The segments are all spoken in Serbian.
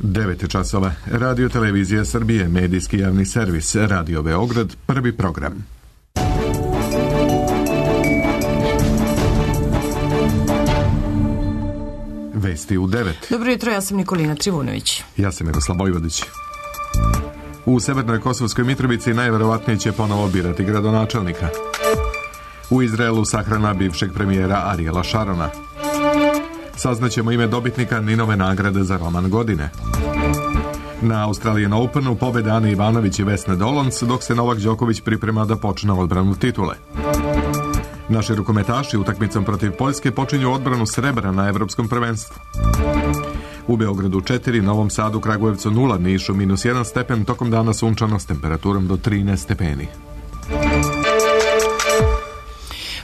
9 časova. Radio Televizija Srbije, medijski javni servis, Radio Beograd, prvi program. Vesti u 9. Dobro jutro, ja sam Nikolina Trivunović. Ja sam Miroslav Vojvodić. U Severnoj Kosovskoj Mitrovici najverovatnije će ponovo birati gradonačelnika. U Izraelu sahrana bivšeg premijera Ariela Šarona. Saznaćemo ime dobitnika Ninove nagrade za roman godine. Na Australian Openu pobede Ane Ivanović i Vesne Dolans, dok se Novak Đoković priprema da počne odbranu titule. Naši rukometaši utakmicom protiv Poljske počinju odbranu srebra na evropskom prvenstvu. U Beogradu 4, Novom Sadu, Kragujevcu 0, Nišu -1 stepen, tokom dana sunčano s temperaturom do 13 stepeni.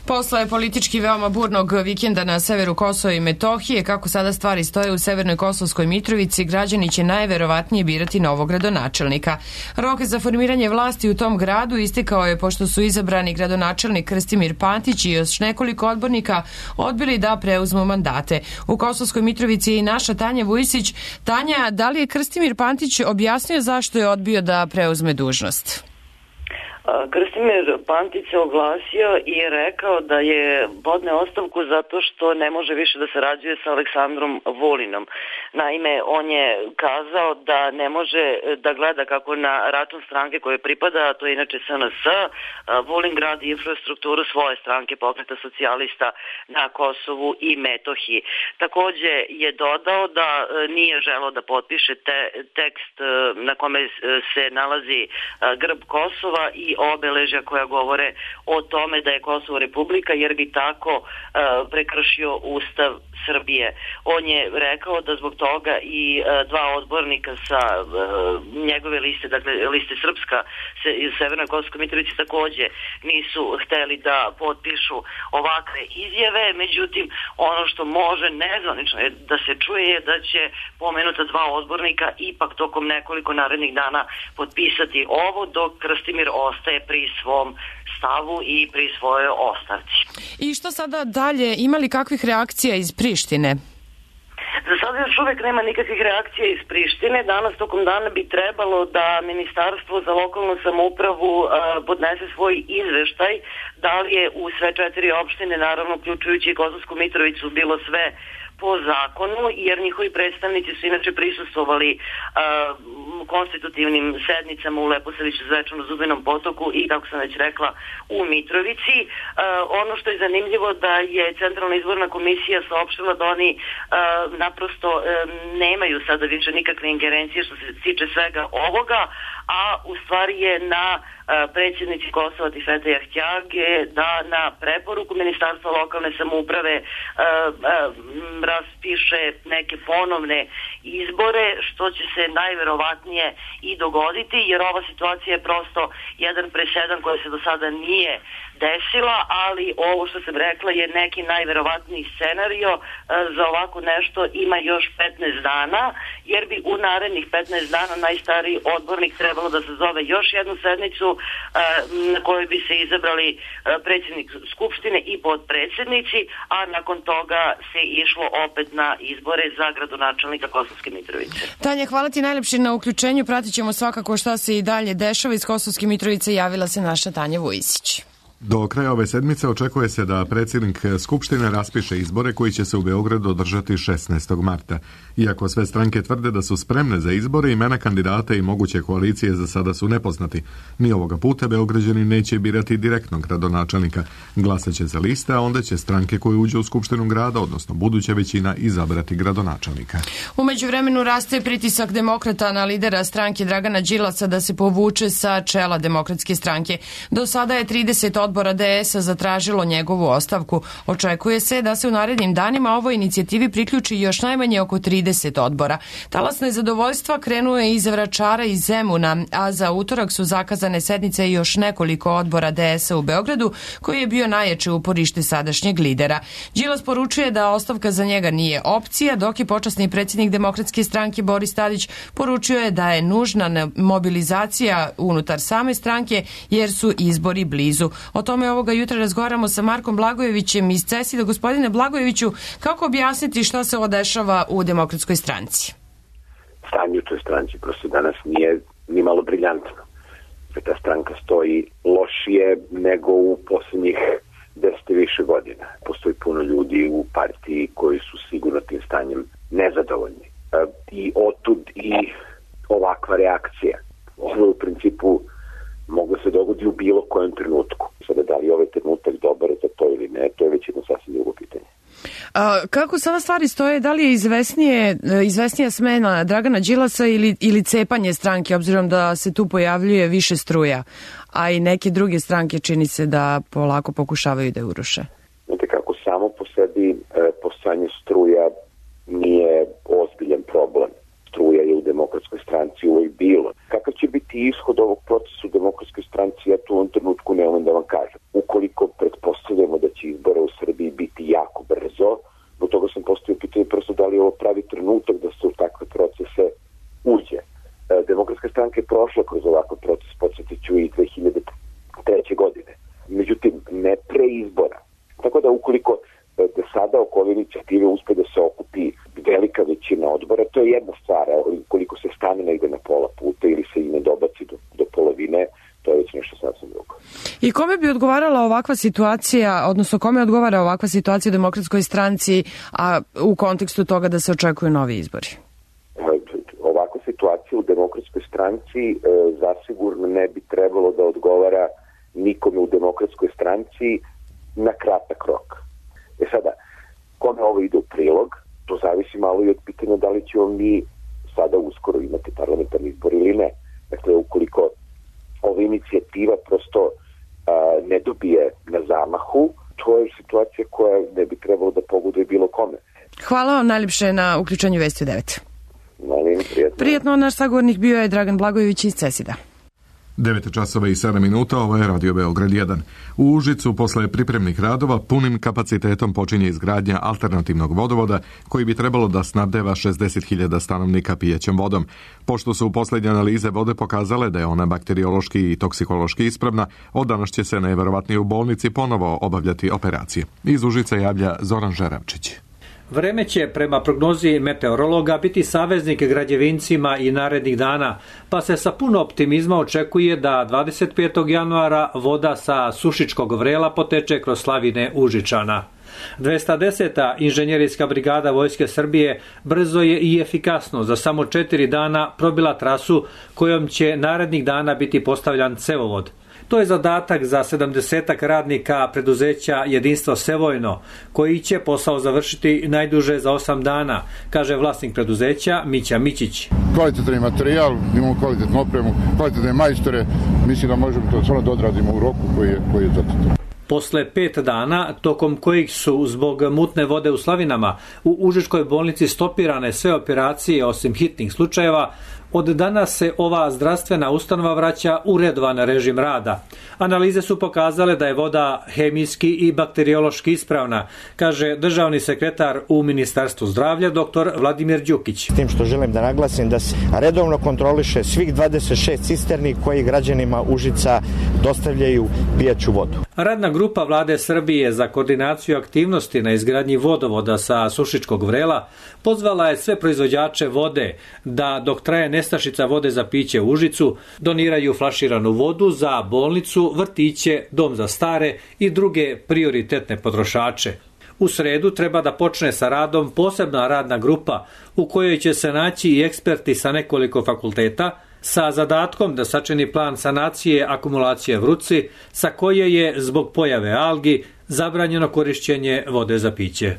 Posle politički veoma burnog vikenda na severu Kosova i Metohije, kako sada stvari stoje u Severnoj Kosovskoj Mitrovici, građani će najverovatnije birati novog gradonačelnika. Rok za formiranje vlasti u tom gradu istekao je pošto su izabrani gradonačelnik Krstimir Pantić i još nekoliko odbornika odbili da preuzmu mandate. U Kosovskoj Mitrovici je i naša Tanja Vujsić. Tanja, da li je Krstimir Pantić objasnio zašto je odbio da preuzme dužnost? Krstimir Pantić se oglasio i rekao da je podne ostavku zato što ne može više da sarađuje sa Aleksandrom Vulinom. Naime, on je kazao da ne može da gleda kako na račun stranke koje pripada, a to je inače SNS, Vulin gradi infrastrukturu svoje stranke Pokreta socijalista na Kosovu i Metohiji. Takođe je dodao da nije želeo da potpiše tekst na kome se nalazi grb Kosova i obeležja koja govore o tome da je Kosovo republika, jer bi tako prekršio Ustav Srbije. On je rekao da zbog toga i dva odbornika sa njegove liste, dakle liste Srpska iz Severnoj Kosovskoj Mitrovici, takođe nisu hteli da potpišu ovakve izjave. Međutim, ono što može nezvanično da se čuje je da će pomenuta dva odbornika ipak tokom nekoliko narednih dana potpisati ovo, dok Krstimir ostaje pri svom stavu i pri svojoj ostavci. I što sada dalje? Ima li kakvih reakcija iz Prištine? Za sada još uvek nema nikakvih reakcija iz Prištine. Danas tokom dana bi trebalo da Ministarstvo za lokalnu samoupravu podnese svoj izveštaj da li je u sve 4 opštine, naravno uključujući i Kosovsku Mitrovicu, bilo sve po zakonu, jer njihovi predstavnici su inače prisustvovali konstitutivnim sednicama u Leposaviću, Zvečanu, Zubinom Potoku i, kako sam već rekla, u Mitrovici. Ono što je zanimljivo da je Centralna izborna komisija saopštila da oni naprosto nemaju sada više nikakve ingerencije što se tiče svega ovoga, a u stvari je na predsjednici Kosova Tifete Jahtjage da na preporuku Ministarstva lokalne samouprave raspiše neke ponovne izbore, što će se najverovatnije i dogoditi, jer ova situacija je prosto jedan presedan koji se do sada nije desila, ali ovo što sam rekla je neki najverovatniji scenario. Za ovako nešto ima još 15 dana, jer bi u narednih 15 dana najstariji odbornik trebalo da sazove još jednu sednicu na kojoj bi se izabrali predsjednik Skupštine i podpredsjednici, a nakon toga se išlo opet na izbore za gradonačelnika Kosovske Mitrovice. Tanja, hvala ti najlepše na uključenju. Pratit ćemo svakako šta se i dalje dešava. Iz Kosovske Mitrovice javila se naša Tanja Vujsić. Do kraja ove sedmice očekuje se da predsjednik Skupštine raspiše izbore koji će se u Beogradu održati 16. marta. Iako sve stranke tvrde da su spremne za izbore, imena kandidata i moguće koalicije za sada su nepoznati. Ni ovoga puta Beograđani neće birati direktnog gradonačelnika. Glasaće za liste, a onda će stranke koje uđe u Skupštinu grada, odnosno buduća većina, izabrati gradonačelnika. U međuvremenu raste pritisak demokrata na lidera stranke Dragana Đilasa da se povuče sa čela Demokratske stranke. Do sada je 30 odbora DS-a zatražilo njegovu ostavku. Očekuje se da se u narednim danima ovoj inicijativi priključi još najmanje oko 30 odbora. Talas nezadovoljstva krenuo je iz Vračara i Zemuna, a za utorak su zakazane sednice još nekoliko odbora DS-a u Beogradu, koji je bio najjače uporište sadašnjeg lidera. Đilas poručuje da ostavka za njega nije opcija, dok je počasni predsjednik Demokratske stranke Boris Tadić poručio je da je nužna mobilizacija unutar same stranke jer su izbori blizu. O tome ovoga jutra razgovaramo sa Markom Blagojevićem iz CESID-a. Gospodine Blagojeviću, kako objasniti šta se ovo dešava u Demokratskoj stranci? stanje u toj stranci prosto danas nije ni malo briljantno. Ta stranka stoji lošije nego u posljednjih 10 i više godina. Postoji puno ljudi u partiji koji su sigurno tim stanjem nezadovoljni. I otud i ovakva reakcija. Ovo u principu moglo se dogodi u bilo kojem trenutku. Sada da li je ovaj trenutak dobar za to ili ne, to je već jedno sasvim drugo pitanje. Kako sada stvari stoje, da li je izvesnija smena Dragana Đilasa ili cepanje stranke, obzirom da se tu pojavljuje više struja, a i neke druge stranke čini se da polako pokušavaju da je uruše? Znate kako, samo po sebi postojanje struja nije ozbiljan problem. Struja je u Demokratskoj stranci uvijek bilo. Kakav će biti ishod ovog procesa u Demokratskoj stranci, ja tu u ovom trenutku ne umem da vam kažem. Ukoliko pretpostavljamo da će izbora u Srbiji biti jako brzo, do toga sam postavio pitanje prosto da li je ovo pravi trenutak da se u takve procese uđe. Demokratska stranka je prošla kroz ovakav proces, podsjetiću i 2003. godine. Međutim, ne pre izbora. Tako da ukoliko da sada oko ove inicijative uspe da se okupi velika većina odbora, to je jedna stvar. Ukoliko se stane negde na pola puta ili se i ne dobaci do polovine, to je već nešto sasvim drugo. I kome bi odgovarala ovakva situacija, odnosno kome odgovara ovakva situacija u Demokratskoj stranci, a u kontekstu toga da se očekuju novi izbori? Ovakva situacija u Demokratskoj stranci zasigurno ne bi trebalo da odgovara nikome u Demokratskoj stranci na kratak rok. Sada, kome ovo ide u prilog, to zavisi malo i od pitanja da li ćemo mi sada uskoro imati parlamentarni izbor ili ne. Dakle, ukoliko ova inicijativa prosto ne dobije na zamahu, to je situacija koja ne bi trebalo da pogoduje bilo kome. Hvala vam najljepše na uključenju Vesti u 9. Molim, prijatno. Prijetno, naš sagovornik bio je Dragan Blagojević iz CESID-a. 9:07, ovo je Radio Beograd 1. U Užicu posle pripremnih radova punim kapacitetom počinje izgradnja alternativnog vodovoda koji bi trebalo da snabdeva 60.000 stanovnika pijećom vodom. Pošto su poslednje analize vode pokazale da je ona bakteriološki i toksikološki ispravna, od danas će se najverovatnije u bolnici ponovo obavljati operacije. Iz Užica javlja Zoran Žeravčić. Vreme će, prema prognozi meteorologa, biti saveznik građevincima i narednih dana, pa se sa puno optimizma očekuje da 25. januara voda sa Sušičkog vrela poteče kroz slavine Užičana. 210. inženjerijska brigada Vojske Srbije brzo je i efikasno za samo 4 dana probila trasu kojom će narednih dana biti postavljan cevovod. To je zadatak za 70 radnika preduzeća Jedinstvo Sevojno, koji će posao završiti najduže za 8 dana, kaže vlasnik preduzeća Mića Mićić. Kvalitetan materijal, imamo kvalitetnu opremu, kvalitetne majstore, mislim da možemo to stvarno da odradimo u roku koji je zacrtan. Posle 5 dana, tokom kojih su zbog mutne vode u slavinama u Užičkoj bolnici stopirane sve operacije osim hitnih slučajeva, od danas se ova zdravstvena ustanova vraća u redovan režim rada. Analize su pokazale da je voda hemijski i bakteriološki ispravna, kaže državni sekretar u Ministarstvu zdravlja dr. Vladimir Đukić. Tim što želim da naglasim da se redovno kontroliše svih 26 cisterni koji građanima Užica dostavljaju pijaću vodu. Radna grupa Vlade Srbije za koordinaciju aktivnosti na izgradnji vodovoda sa Sušičkog vrela pozvala je sve proizvođače vode da dok traje nestašica vode za piće u Užicu doniraju flaširanu vodu za bolnicu, vrtiće, dom za stare i druge prioritetne potrošače. U sredu treba da počne sa radom posebna radna grupa u kojoj će se naći i eksperti sa nekoliko fakulteta sa zadatkom da sačini plan sanacije akumulacije Vrutci sa koje je zbog pojave algi zabranjeno korišćenje vode za piće.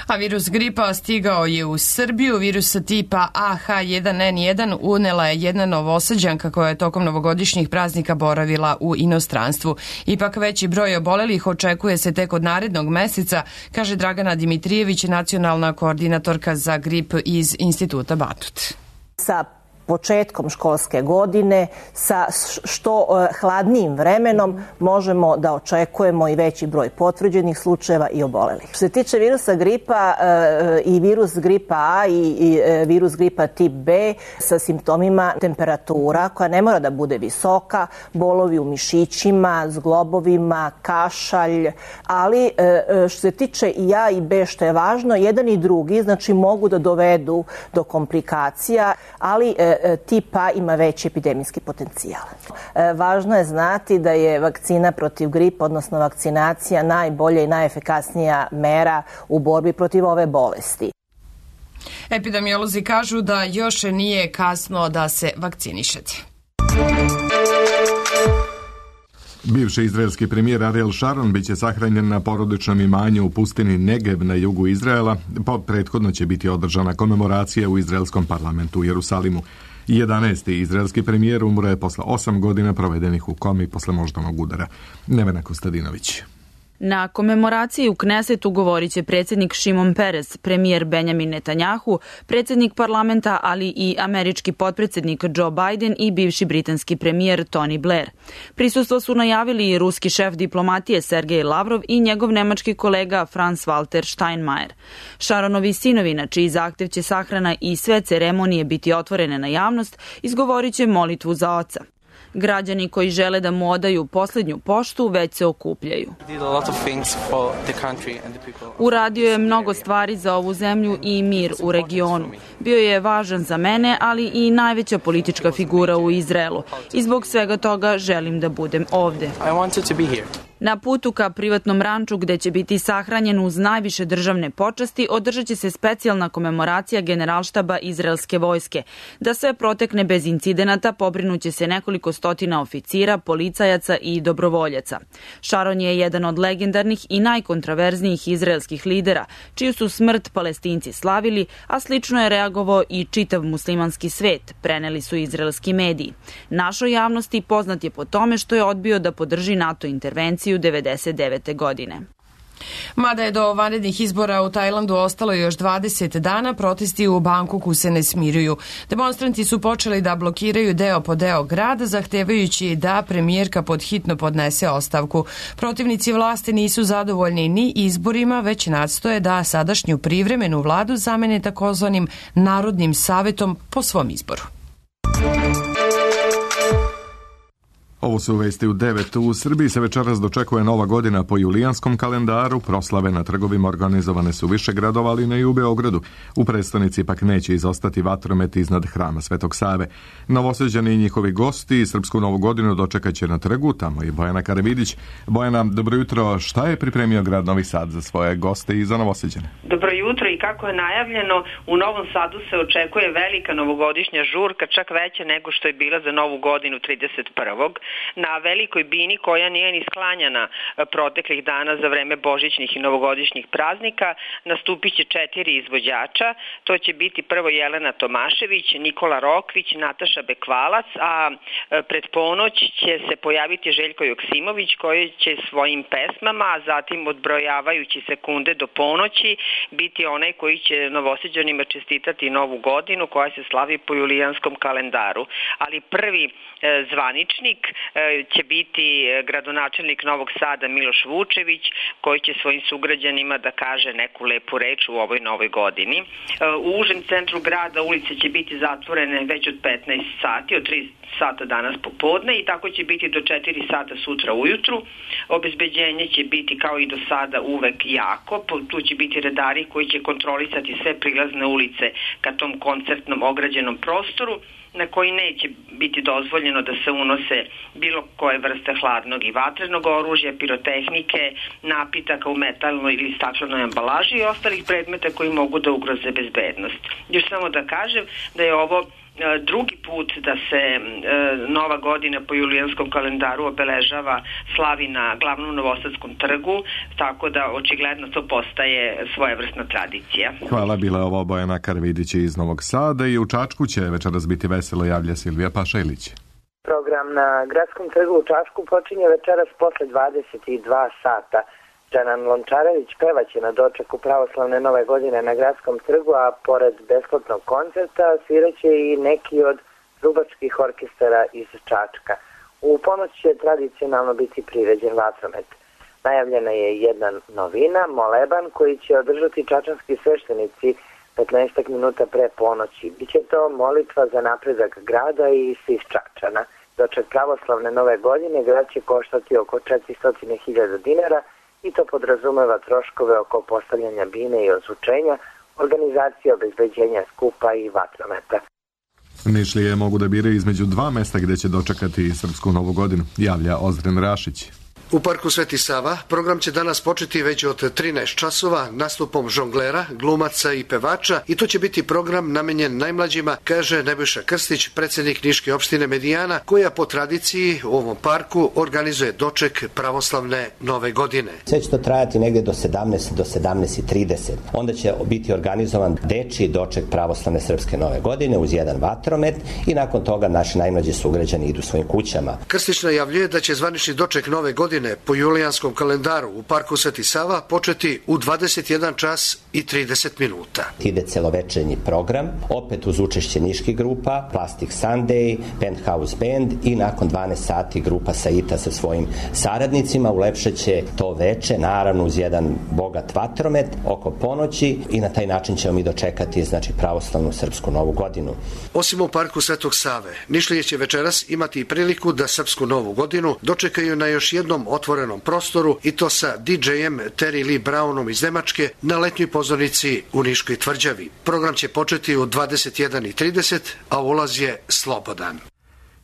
A virus gripa stigao je u Srbiju. Virusa tipa AH1N1 unela je jedna Novosađanka koja je tokom novogodišnjih praznika boravila u inostranstvu. Ipak veći broj obolelih očekuje se tek od narednog meseca, kaže Dragana Dimitrijević, nacionalna koordinatorka za grip iz Instituta Batut. Sa početkom školske godine sa što hladnijim vremenom možemo da očekujemo i veći broj potvrđenih slučajeva i obolelih. Što se tiče virusa gripa i virus gripa A i virus gripa tip B sa simptomima temperatura koja ne mora da bude visoka, bolovi u mišićima, zglobovima, kašalj, ali što se tiče i A i B, što je važno, jedan i drugi znači mogu da dovedu do komplikacija, ali tip A ima veći epidemijski potencijal. Važno je znati da je vakcina protiv gripa, odnosno vakcinacija, najbolja i najefikasnija mera u borbi protiv ove bolesti. Epidemiolozi kažu da još nije kasno da se vakcinišete. Bivši izraelski premijer Ariel Sharon biće sahranjen na porodičnom imanju u pustini Negev na jugu Izraela. Prethodno će biti održana komemoracija u izraelskom parlamentu u Jerusalimu. 11. izraelski premijer umro je posle 8 godina provedenih u komi posle moždanog udara. Nevena Kostadinović. Na komemoraciji u Knesetu govorit će predsjednik Šimon Peres, premijer Benjamin Netanjahu, predsjednik parlamenta, ali i američki potpredsjednik Joe Biden i bivši britanski premijer Tony Blair. Prisustvo su najavili i ruski šef diplomatije Sergej Lavrov i njegov nemački kolega Franz Walter Steinmeier. Sharonovi sinovi, na čiji zahtev će sahrana i sve ceremonije biti otvorene na javnost, izgovorit će molitvu za oca. Građani koji žele da mu odaju posljednju poštu već se okupljaju. Uradio je mnogo stvari za ovu zemlju i mir u regionu. Bio je važan za mene, ali i najveća politička figura u Izraelu. I zbog svega toga želim da budem ovde. Na putu ka privatnom ranču gde će biti sahranjen uz najviše državne počasti održat će se specijalna komemoracija Generalštaba izraelske vojske. Da sve protekne bez incidenata pobrinuće se nekoliko stotina oficira, policajaca i dobrovoljaca. Sharon je jedan od legendarnih i najkontraverznijih izraelskih lidera, čiju su smrt Palestinci slavili, a slično je reagovao i čitav muslimanski svet, preneli su izraelski mediji. Našoj javnosti poznat je po tome što je odbio da podrži NATO intervenciju 1999. godine. Mada je do vanrednih izbora u Tajlandu ostalo još 20 dana, protesti u Bangkoku se ne smiruju. Demonstranti su počeli da blokiraju deo po deo grada, zahtevajući da premijerka podhitno podnese ostavku. Protivnici vlasti nisu zadovoljni ni izborima, već nastoje da sadašnju privremenu vladu zamene takozvanim Narodnim savetom po svom izboru. Ovo su vesti u 9. U Srbiji se večeras dočekuje nova godina po julijanskom kalendaru. Proslave na trgovima organizovane su više gradova, ali ne i u Beogradu. U prestonici pak neće izostati vatromet iznad hrama Svetog Save. Novosađani i njihovi gosti srpsku novu godinu dočekaće na trgu, tamo je Bojana Karavidić. Bojana, dobro jutro. Šta je pripremio grad Novi Sad za svoje goste i za Novosađane? Dobro jutro i kako je najavljeno, u Novom Sadu se očekuje velika novogodišnja žurka, čak veća nego što je bila za novu godinu 31. Na velikoj bini koja nije ni sklanjana proteklih dana za vreme božićnih i novogodišnjih praznika nastupit će 4 izvođača. To će biti prvo Jelena Tomašević, Nikola Rokvić, Nataša Bekvalac, a pred ponoć će se pojaviti Željko Joksimović koji će svojim pesmama, a zatim odbrojavajući sekunde do ponoći biti onaj koji će Novosađanima čestitati novu godinu koja se slavi po julijanskom kalendaru. Ali prvi zvaničnik će biti gradonačelnik Novog Sada Miloš Vučević, koji će svojim sugrađanima da kaže neku lepu reč u ovoj novoj godini. U užem centru grada ulice će biti zatvorene već od 15 sati, od 3 sata danas popodne i tako će biti do 4 sata sutra ujutru. Obezbeđenje će biti kao i do sada uvek jako. Tu će biti redari koji će kontrolisati sve prilazne ulice ka tom koncertnom ograđenom prostoru, na koji neće biti dozvoljeno da se unose bilo koje vrste hladnog i vatrenog oružja, pirotehnike, napitaka u metalnoj ili staklenoj ambalaži i ostalih predmeta koji mogu da ugroze bezbednost. Još samo da kažem da je ovo drugi put da se nova godina po julijanskom kalendaru obeležava, slavi na glavnom Novosadskom trgu, tako da očigledno to postaje svojevrsna tradicija. Hvala, bila je ovo Bojana Karavidić iz Novog Sada i u Čačku će večeras biti veselo, javlja Silvija Pašajlić. Program na Gradskom trgu u Čačku počinje večeras posle 22 sata. Džanan Lončarević pevaće na dočeku pravoslavne nove godine na Gradskom trgu, a pored besplatnog koncerta sviraće i neki od trubačkih orkestara iz Čačka. U ponoć će tradicionalno biti priređen vatromet. Najavljena je jedna novina, moleban, koji će održati čačanski sveštenici 15 minuta pre ponoći. Biće to molitva za napredak grada i svih Čačana. Doček pravoslavne nove godine grad će koštati oko 400.000 dinara i to podrazumeva troškove oko postavljanja bine i ozvučenja, organizacije obezbeđenja skupa i vatrometa. Nišlije mogu da biraju između dva mesta gde će dočekati srpsku novu godinu, javlja Ozren Rašić. U parku Sveti Sava program će danas početi već od 13 časova nastupom žonglera, glumaca i pevača i to će biti program namenjen najmlađima, kaže Nebojša Krstić, predsjednik Niške opštine Medijana, koja po tradiciji u ovom parku organizuje doček pravoslavne nove godine. Sve će to trajati negde do 17:30. Onda će biti organizovan dečiji doček pravoslavne srpske nove godine uz jedan vatromet i nakon toga naši najmlađi sugrađani idu svojim kućama. Krstić najavljuje da će zvanični doček nove godine po julijanskom kalendaru u parku Sveti Sava početi u 21 čas i 30 minuta. Ide celovečernji program, opet uz učešće niških grupa, Plastic Sunday, Penthouse Band i nakon 12 sati grupa Saita sa svojim saradnicima ulepšaće to veče, naravno uz jedan bogat vatromet oko ponoći i na taj način ćemo mi dočekati pravoslavnu srpsku novu godinu. Osim u parku Svetog Save, Nišlije će večeras imati priliku da srpsku novu godinu dočekaju na još jednom otvorenom prostoru i to sa DJ-em Terry Lee Brownom iz Nemačke na letnjoj pozornici u Niškoj tvrđavi. Program će početi u 21:30, a ulaz je slobodan.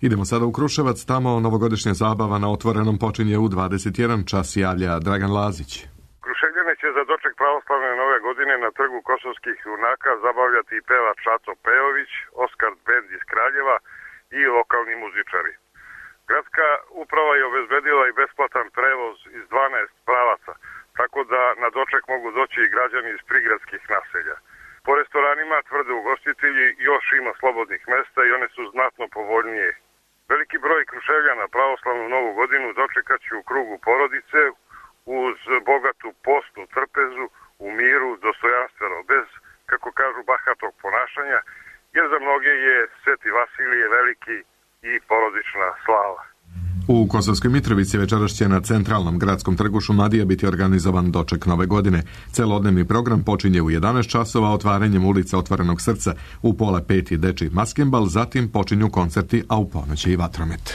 Idemo sada u Kruševac, tamo novogodišnja zabava na otvorenom počinje u 21 čas, javlja Dragan Lazić. Kruševljane će za doček pravoslavne nove godine na trgu kosovskih junaka zabavljati i pevač Šaco Pejović, Oskar Bend iz Kraljeva i lokalni muzičari. Gradska uprava je obezbedila i besplatan prevoz iz 12 pravaca, tako da na doček mogu doći i građani iz prigradskih naselja. Po restoranima, tvrde ugostitelji, još ima slobodnih mesta i one su znatno povoljnije. Veliki broj Kruševljana pravoslavnu novu godinu dočekat će u krugu porodice uz bogatu postnu trpezu, u miru, dostojanstveno, bez, kako kažu, bahatog ponašanja, jer za mnoge je Sveti Vasilije veliki i porodična slava. U Kosovskoj Mitrovici večeras će na centralnom gradskom trgu Šumadija biti organizovan doček nove godine. Celodnevni program počinje u 11 časova otvaranjem ulica Otvorenog srca, u 4:30 dečiji maskembal, zatim počinju koncerti, a u ponoć i vatromet.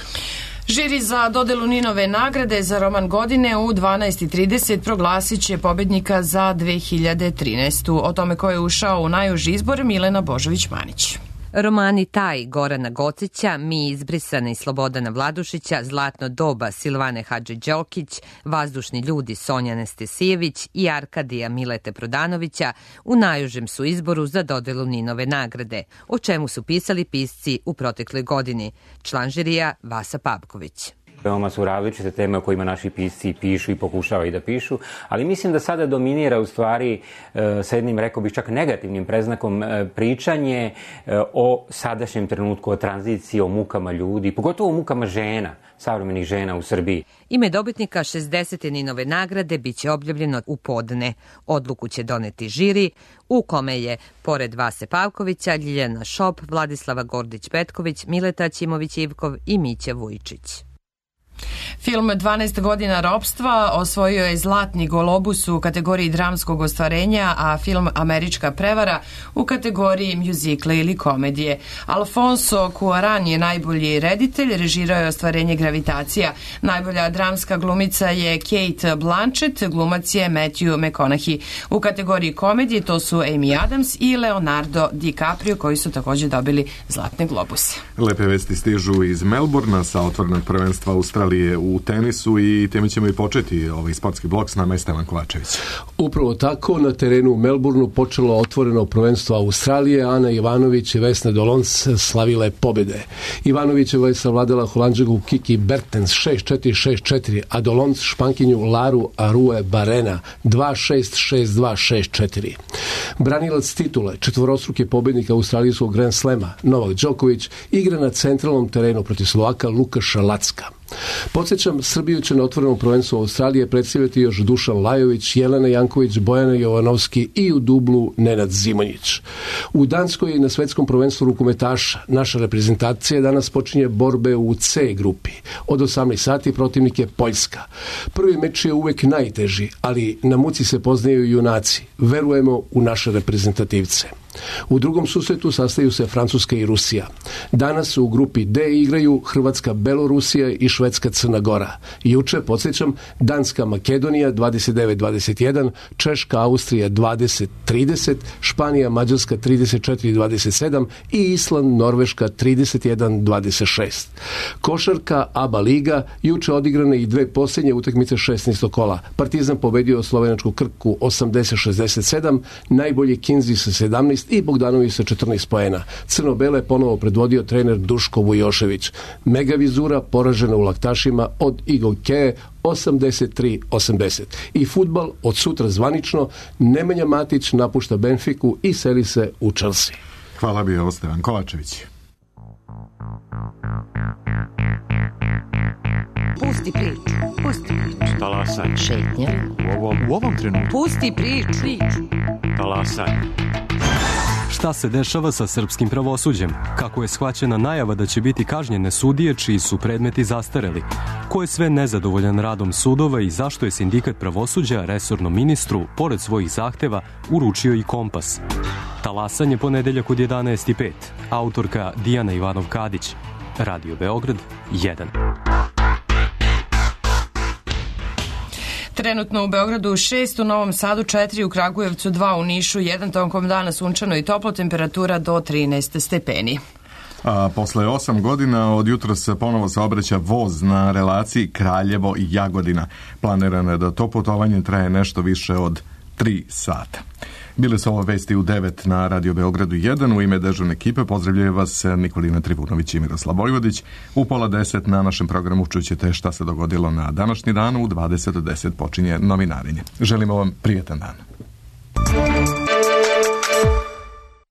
Žiri za dodelu Ninove nagrade za roman godine u 12:30 proglasit će pobednika za 2013. O tome ko je ušao u najuži izbor Milena Božović-Manić. Romani Taj Gorana Gocića, Mi izbrisane Slobodana Vladušića, Zlatno doba Silvane Hadži-Đokić, Vazdušni ljudi Sonja Nestesijević i Arkadija Milete Prodanovića u najužem su izboru za dodelu Ninove nagrade, o čemu su pisali pisci u protekloj godini. Član žirija Vasa Pavković. Veoma su različite teme o kojima naši pisci pišu i pokušavaju da pišu, ali mislim da sada dominira u stvari sa jednim, rekao bih, čak negativnim predznakom pričanje o sadašnjem trenutku, o tranziciji, o mukama ljudi, pogotovo o mukama žena, savremenih žena u Srbiji. Ime dobitnika 60. Ninove nagrade biće objavljeno u podne. Odluku će doneti žiri, u kome je, pored Vase Pavkovića, Ljiljana Šop, Vladislava Gordić-Petković, Mileta Ćimović-Ivkov i Mića Vujčić. Film 12 godina ropstva osvojio je Zlatni golobus u kategoriji dramskog ostvarenja, a film Američka prevara u kategoriji mjuzikla ili komedije. Alfonso Cuarón je najbolji reditelj, režirao je ostvarenje Gravitacija. Najbolja dramska glumica je Kate Blanchett, glumac je Matthew McConaughey. U kategoriji komedije to su Amy Adams i Leonardo DiCaprio, koji su također dobili Zlatne globuse. Lepe vesti stižu iz Melbourna sa otvorenog prvenstva Australije u tenisu i time ćemo i početi ovaj sportski blok. S nama je Stevan Kovačević. Upravo tako, na terenu u Melbourneu počelo otvoreno prvenstvo Australije. Ana Ivanović i Vesna Dolons slavile pobjede. Ivanovićeva je savladala Holanđanku Kiki Bertens 6-4, 6-4, a Dolons Špankinju Laru Arue Barena 2-6, 6-2, 6-4. Branilac titule, četvorostruki pobjednik australijskog Grand Slema, Novak Đoković, igra na centralnom terenu protiv Slovaka Lukaša Lacka. Podsjećam, Srbiju će na otvorenom prvenstvu Australije predstavljati još Dušan Lajović, Jelena Janković, Bojana Jovanovski i u dublu Nenad Zimonjić. U Danskoj na svetskom prvenstvu rukometaša naša reprezentacija danas počinje borbe u C grupi. Od 18 sati protivnik je Poljska. Prvi meč je uvek najteži, ali na muci se poznaju junaci. Verujemo u naše reprezentativce. U drugom susretu sastaju se Francuska i Rusija. Danas u grupi D igraju Hrvatska, Belorusija i Švedska, Crna Gora. Juče, podsjećam, Danska, Makedonija 29-21, Češka, Austrija 20-30, Španija, Mađarska 34-27 i Island, Norveška 31-26. Košarka, ABA liga, juče odigrane i dve posljednje utakmice 16. kola. Partizan pobedio slovenačku Krku 80-67, najbolji Kinzi sa 17 i Bogdanović sa 14 poena. Crno-bele ponovo predvodio trener Duško Vujošević. Megavizura poražena u laktašima od Igokeje 83-80. I fudbal od sutra zvanično, Nemanja Matić napušta Benfiku i seli se u Chelsea. Hvala bio Stevan Kovačević. Pusti priču. Pusti priču. Talasaj. Šetnja. U ovom trenutku. Pusti priču. Talasaj. Šta se dešava sa srpskim pravosuđem? Kako je shvaćena najava da će biti kažnjene sudije čiji su predmeti zastareli? Ko je sve nezadovoljan radom sudova i zašto je sindikat pravosuđa resornom ministru, pored svojih zahteva, uručio i kompas? Talasanje ponedeljak od 11:05. Autorka Dijana Ivanov-Kadić. Radio Beograd 1. Trenutno u Beogradu 6, u Novom Sadu 4, u Kragujevcu 2, u Nišu 1, tokom dana sunčano i toplo, temperatura do 13 stepeni. A posle 8 godina od jutros se ponovo saobraća voz na relaciji Kraljevo i Jagodina. Planirano je da to putovanje traje nešto više od 3 sata. Bile su ovo vesti u 9 na Radio Beogradu 1. U ime dežurne ekipe pozdravljaju vas Nikolina Trivunović i Miroslav Vojvodić. U 9:30 na našem programu čućete šta se dogodilo na današnji dan. U 20:10 počinje novinarenje. Želimo vam prijetan dan.